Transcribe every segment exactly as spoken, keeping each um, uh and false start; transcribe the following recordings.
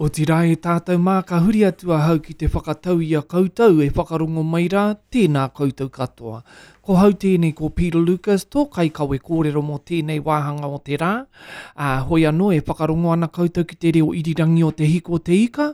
Otirā e tātou mā, ka huri atu ahau ki te whakatau i a koutou e whakarongo mai rā, tēnā koutou katoa. Ko hau tēnei ko Peter Lucas, tō kaikawe kōrero mō tēnei wāhanga o te rā. Ā, hoi anō e whakarongo ana koutou ki te reo irirangi o Te Hiko o Te Ika,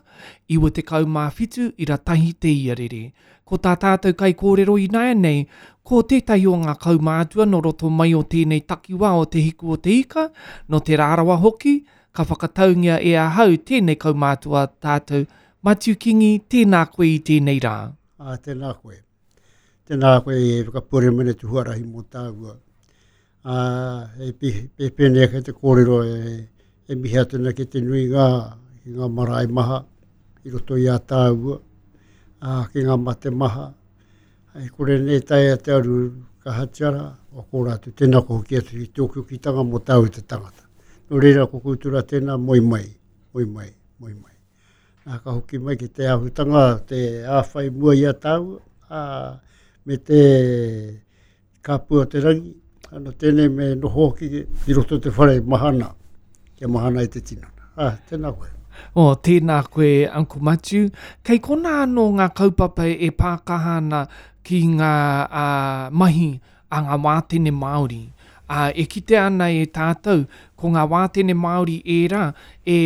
iwa tekau mā whitu ira tahi te iarere. Ko tā tātou kaikōrero ināianei, ko tētahi o ngā kaumātua nō roto mai o tēnei takiwā o Te Hiku o Te Ika, nō Te Rarawa hoki, ka whakataungia e ahau tēnei kaumātua tātou. Matiu Kingi, tēnā koe i tēnei rā. Ā, tēnā koe. Tēnā koe e whakapore mene te huarahi mō tāua. Ā, e pēpēnei ake te kōrero e, e mihi atu ana ki te nui ngā, ki ngā marae maha i roto i a tāua, ā, ki ngā mate maha. E kore nei taea te aru kahatia rā, o kō rātou, tēnā ko hoki atu ki te okiokitanga mō tāua te tangata. Nō reira, ko koutou rā tēnā, moe mai, moe mai, moe mai. Nā, ka hoki mai ki te āhutanga, te āwhai mua i a tāua, ā, me te kāpua o te rangi, anō tēnei me noho hoki ki roto te whare mahana, kia mahana i te tinana. Ā, tēnā koe. Oh, tēnā koe, Uncle Matiu. Kei konā anō ngā kaupapa e pākaha ana ki ngā uh, mahi a ngā wātene Māori. Uh, e kitea ana e tātou, ko ngā wātene Māori ērā e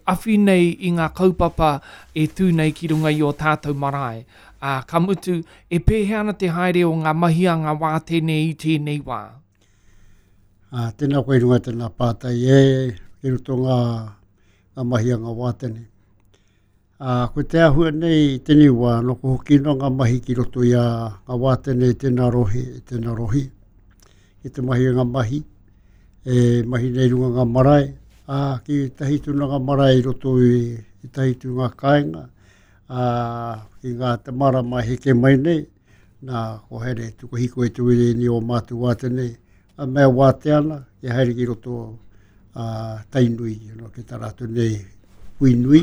awhi nei i ngā kaupapa e tū nei ki runga i o tātou marae. Uh, ka mutu, e pēhea ana te haere o ngā mahi a ngā wātene i tēnei wā? Uh, tēnā koe runga tēnā pātai e, ki roto ngā, ngā mahi a ngā wātene. Uh, ko te āhua nei i tēnei wā, no ko hoki no ngā mahi ki roto i a ngā wātene i tēnā rohe, i tēnā rohe. I te mahi ngā mahi, e mahi nei runga ngā marae, ā, ki tahi tū ngā marae i roto i, i tahi tū ngā kāinga, ā, ki ngā te marama heke mai nei, nā, ko haere tuku hiko e te wire ni o mātou wātene, a mea wāte ana, ki haere ki roto a Tainui, no, ki tā rātou nei hui nui,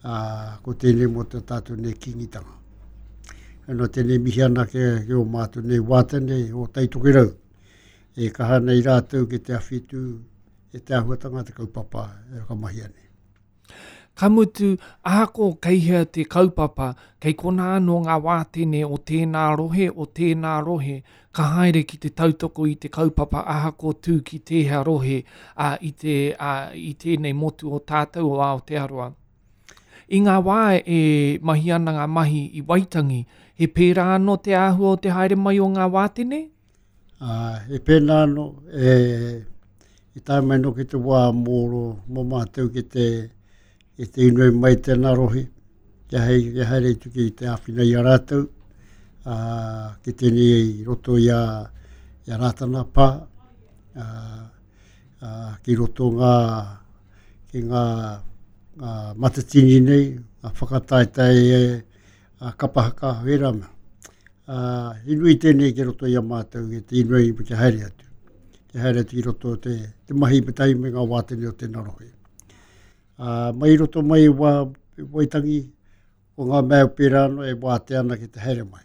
ā, ko tēnei mō te tātou nei kingitanga. Ano tēnei mihi ana ke, ke o mātou nei wātene o Taitokerau. E kaha nei rātou ki te awhitu e te āhuatanga te kaupapa e whakamahia nei. Ka mutu, ahako kei hea te kaupapa, kei konā anō ngā wātene o tēnā rohe, o tēnā rohe, ka haere ki te tautoko i te kaupapa ahako tū ki tēhea rohe a, i, te, a, i tēnei motu o tātou o Aotearoa. I ngā wā e mahi ana ngā mahi i Waitangi, he pērā anō te āhua o te haere mai o ngā wātene? Uh, e pēnā anō, e, i tae mai no ki te wā mōro, mō mātou ki te, ki te inoi mai tēnā rohe, kia hei, kia haere tu ki te āwhina i a rātou, uh, ki tēnei i roto i a, i a Rātana Pā, uh, uh, ki roto ngā, ki ngā, ngā matatini nei, ngā whakataetae e, a kapahaka wera mea. Uh, i nui tēnei ki roto i a mātou, ki te inoi ki haere atu. Ki haere atu ki roto te, te mahi me tahi me ngā wātene o tēnā rohe. Uh, mai roto mai wā, Waitangi, ko ngā mea pērā anō e wātea ana ki te haere mai.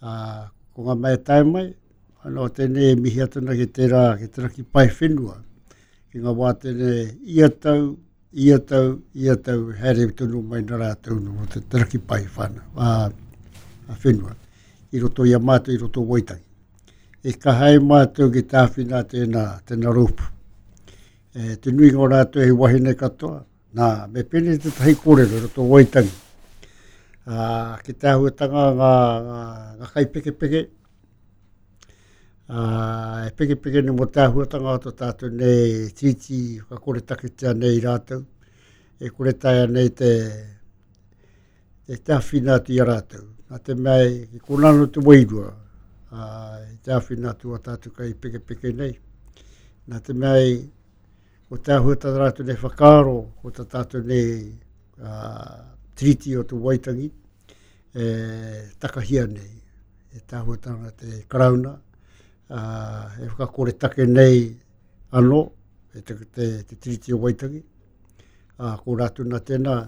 Uh, ko ngā mea tae mai, anō tēnei e mihi atu ana ki tērā, ki te raki pae whenua, ki ngā wātene ia tau, ia tau, ia tau, haere tonu mai nā rātou no te, te raki pae whana, uh, whenua. I roto i a mātou, i roto Waitangi. E kaha e mātou ki tāwhina tēnā, tēnā rōpū. E, te nuinga o rātou he wahine katoa, nā, me pēnei te tahi kōrero i roto Waitangi. Ā, ki te āhuatanga ngā, ngā, ngā kaipekepeke, ā, e pekepeke nei mō te āhuatanga o tō tātou nei tīti whakakore taketea nei rātou, e kore taea nei te, te te āwhina atu i a rātou. Nā te mea e kona anō te wairua, ā, i te āwhina atu a tātou kai pekepeke nei. Nā te mea e, ko te āhua tā rātou nei whakaaro, ko tā tātou nei uh, tiriti o te Waitangi, e takahia nei, e te āhuatanga te Karauna, uh, e whakakore take nei anō, e te, te, te tiriti o Waitangi. Uh, ko rātou nā tēnā,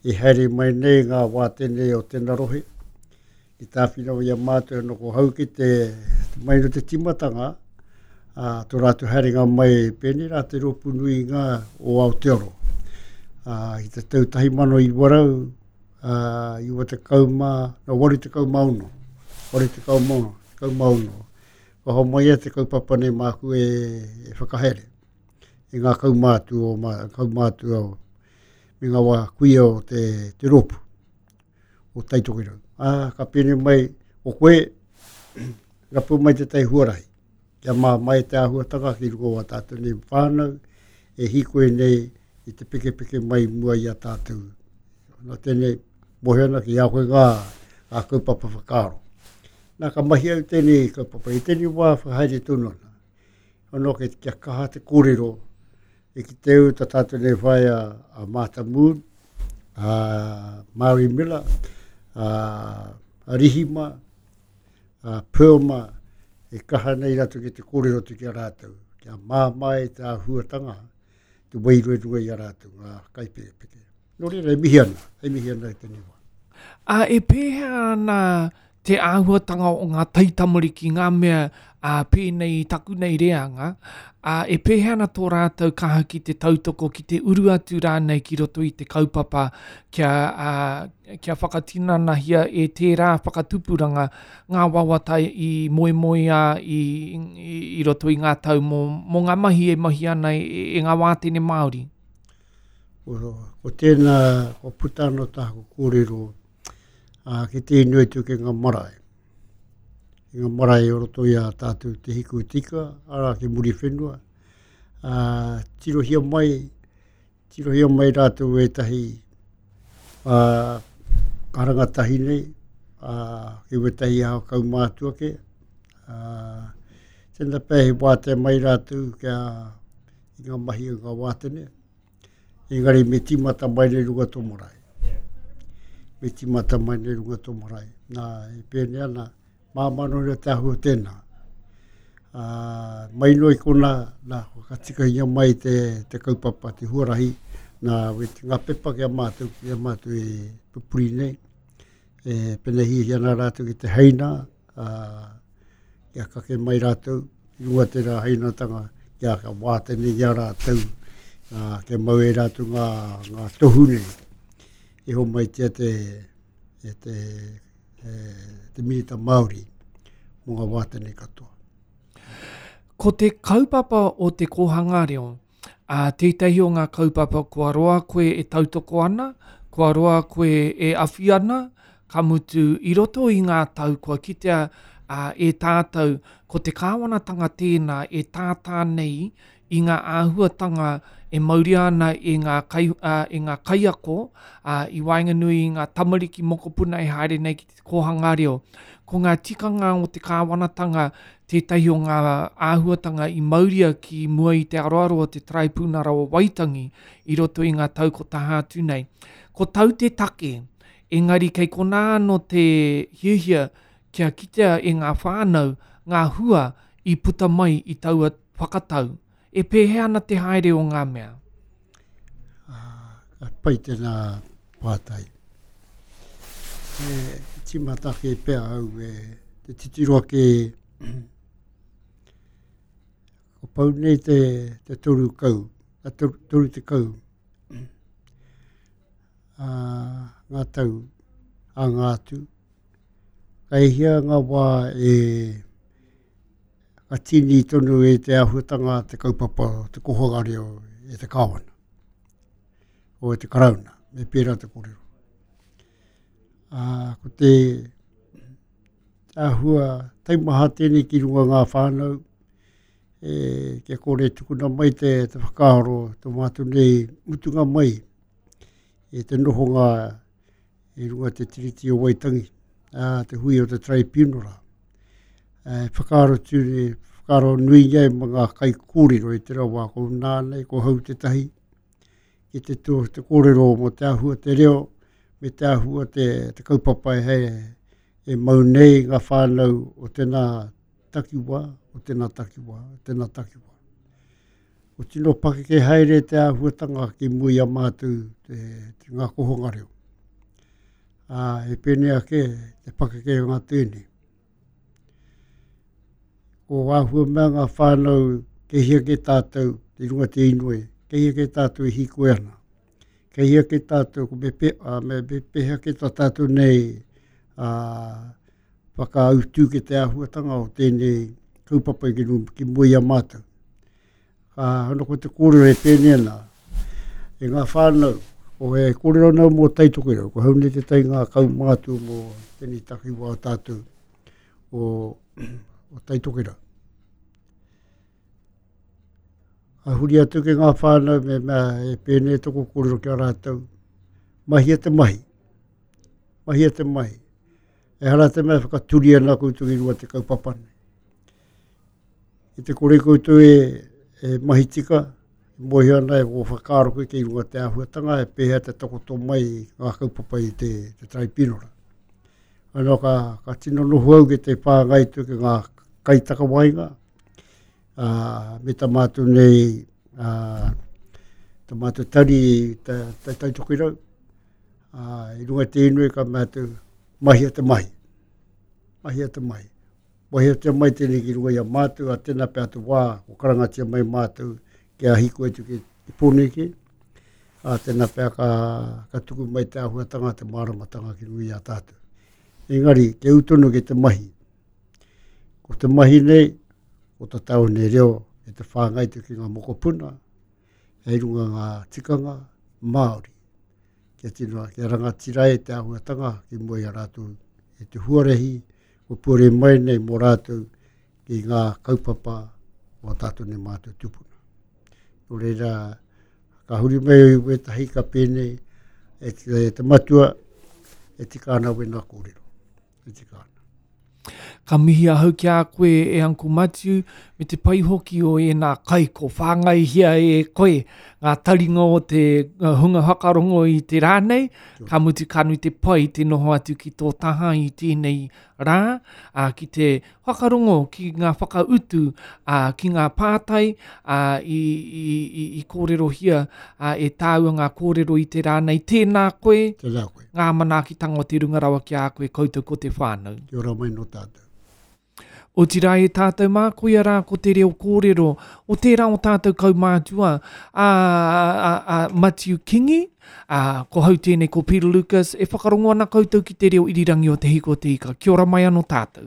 i haere mai nei ngā wātene o tēnā rohe, i tāwhina o ia mātou no ko hau ki te, te mai no te timatanga, a tō rātou haerenga mai pēnei rā te rōpū nui ngā o Aotearoa. Ā, i te tau tahi mano iwa rau, ā, iwa tekau mā, no, waru tekau mā ono, waru tekau mā ono, tekau mā ono. Kua homai e te kaupapa nei māku e, e whakahere i ngā kaumātua o, mā, kaumātua o, me ngā wā kuia o te, te rōpū o Taitokerau. Ā, ka pēnei mai, o koe, rapu mai tētahi huarahi, kia mā mai te āhuatanga ki runga o a tātou nei whānau, e hīkoi nei i te pekepeke mai mua i a tātou. Nā tēnei, mohe ana ki a koe ngā, ngā kaupapa whakaaro. Nā, ka mahi au tēnei kaupapa, i tēnei wā whakahaere tonu ana. Ono ke kia kaha te kōrero, e ki te au tā tātou nei whaea a Martha Moon, a Mary Miller, a, a Rihima, a Pearl e kaha nei rātou ki te kōrero atu ki a rātou, kia māmā e te āhuatanga, te wairua runga i a rātou, ngā kaipekepeke. Nō reira, e mihi ana, e mihi ana i tēnei wā. Ā, e pēhea ana te āhuatanga o ngā taitamariki, ngā mea ā, pēnei i taku nei reanga, ā, e pēhea ana tō rātou kaha ki te tautoko, ki te uru atu rānei ki roto i te kaupapa kia, ā, kia whakatinanahia e tērā whakatupuranga ngā wawata i moemoeā i, i, i roto i ngā tau mō, mō ngā mahi e mahi ana e, e ngā wātene Māori? Ko, ko tēnā, ko puta anō tāku kōrero, ā, ki te inoi atu ki ngā marae. Ki ngā marae o roto i a tātou te hiku tika, arā ki Muriwhenua. Ā, tirohia mai, tirohia mai rātou ētahi, ā, karangatahi nei, ā, ki wētahi aho kaumātua ke. Ā, tēnā pea he wātea mai rātou kia i ngā mahi o ngā wātene. Engari me tīmata mai nei runga tō marae. Me tīmata mai nei runga tō marae. Nā, e pēnei ana, māmā noa reo te āhua tēnā. Ā, mai noa i kona, nā, whakatikahia mai te, te kaupapa, te huarahi, nā, we te ngā pepa ki a mātou, ki a mātou e pupuri nei. E pēnei ana rātou ki te heina, ā, kia kake mai rātou, i runga tērā heinatanga, kia ka wātene i a rātou, ā, kia mau e rātou ngā, ngā tohu nei. E homaitia te, e te, e, te minita Māori mō ngā wātene katoa. Ko te kaupapa o te kōhanga reo, ā, tētahi o ngā kaupapa kua roa koe e tautoko ana, kua roa koe e awhi ana, ka mutu i roto i ngā tau kua kitea, ā, e tātou, ko te kāwanatanga tēnā e tātā nei i ngā āhuatanga e mauria ana e ngā, kai, ā, e ngā kaiako, ā, i waenganui i ngā tamariki mokopuna e haere nei ki te kōhanga reo. Ko ngā tikanga o te kāwanatanga tētahi o ngā āhuatanga i mauria ki mua i te aroaro o te Taraipunara o Waitangi i roto i ngā tau ko taha atu nei. Ko tau te take, engari kei konā anō te hiahia kia kitea e ngā whānau ngā hua i puta mai i taua whakatau. E pēhea ana te haere o ngā mea? Ah, ka pai tēnā pātai. E tīmata ake pea au e te titiro ake ko pau nei te, te toru kau, a toru, toru tekau, ā, ngā tau a ngā atu. Ka hia ngā wā e ka tīni tonu e te āhuatanga te kaupapa te kōhanga reo e te kāwana, o e te karauna, me pērā te kōrero. Ā, ko te āhua taimaha tēnei ki runga ngā whānau, e, kia kore tukuna mai te, te whakaaro, tō mātou nei mutunga mai e te nohonga i runga te Tiriti o Waitangi, ā, te hui o te Tribunal. E whakaaro tūne, whakaaro nui nei ma ngā kaikōrero i te rawa ko nānei, ko hau tētahi, ki te tō te kōrero mō te āhua te reo, me te āhua te, te kaupapa e, hei, e mau nei ngā whānau o tēnā takiwā, o tēnā takiwā, o tēnā takiwā. Ko tino pakeke haere te āhuatanga ki mua i a mātou te, te ngā kohonga reo. Ā, e pēnei ake te pakeke o ngā tēnei. Ko āhua mea ngā whānau kei hia ke tātou, te runga te inoi, kei hia ke tātou e hīkoi ana, Kei hea ke tātou, ko me, pe, uh, me, me pehea ke tā tātou nei uh, whakautu ki te āhuatanga o tēnei kaupapa ki, ki mua i a mātou. Ka hono ko te kōrero e pēnei ana, e ngā whānau, o e kōrero nau mō Taitokerau, ko hau nei te tai ngā kaumātua mō tēnei takiwā tātou o, o Taitokerau. Ka huri atu ki ngā whānau me mea e pēnei toko kōrero ki a rātou, mahia te mahi, mahia te mahi. E hara te mea whakaturi ana koutou i runga te kaupapa nei. I te kore koutou e, e mahi tika, e mohi ana e o whakaaro koe ki runga te āhuatanga e pēhea te takoto mai ngā kaupapa i te, te traipinora. Ano ka, ka tino noho au ki te whāngai tu ki ngā kaitakawainga, uh, me tā mātou nei, uh, tā mātou tari ta, ta, Taitokerau, uh, i runga te inui ka mātou mahia te mahi. Mahia te mahi. Mahia te mai tēnei ki runga i a mātou, a tēnā pea te wā, ko karangatia mai mātou kia hiko atu ki te Pōneke, a tēnā pea ka, ka tuku mai te āhuatanga, te māramatanga ki runga i a tātou. Engari, te utonu ki te mahi. Ko te mahi nei, ko tā tāu nei reo e te whāngai te ki ngā mokopuna, hei runga ngā tikanga Māori. Kia tino, kia rangatira e te āhuatanga ki mua i a rātou e te huarahi, ko pure mai nei mō rātou ki ngā kaupapa o tātou nei mātou tupuna. Nō reira, ka huri mai o wētahi ka pēnei e te, e te matua e tika ana wena kōrero. E tika ana. Ka mihi ahau ki a koe e Uncle Matiu, me te pai hoki o ēnā kai ko whāngaihia e koe ngā taringa o te hunga whakarongo i te rā nei, ka mutu ka nui te pai te noho atu ki tō taha i tēnei rā, ā, ki te whakarongo ki ngā whakautu, ā, ki ngā pātai, ā, i, i, i, i kōrerohia ā, e tāua ngā kōrero i te rā nei. Tēnā koe, Tēnā koe. Ngā manaakitanga o te runga rawa ki a koe koutou ko te whānau. Kia ora mai no tātou. Otirā e tātou mā, koia rā ko te reo kōrero o tērā o tātou kaumātua a, a, a Matiu Kingi, a, ko hau tēnei ko Peter Lucas, e whakarongo ana koutou ki te reo irirangi o Te Hiko Te Ika. Kia ora mai anō tātou.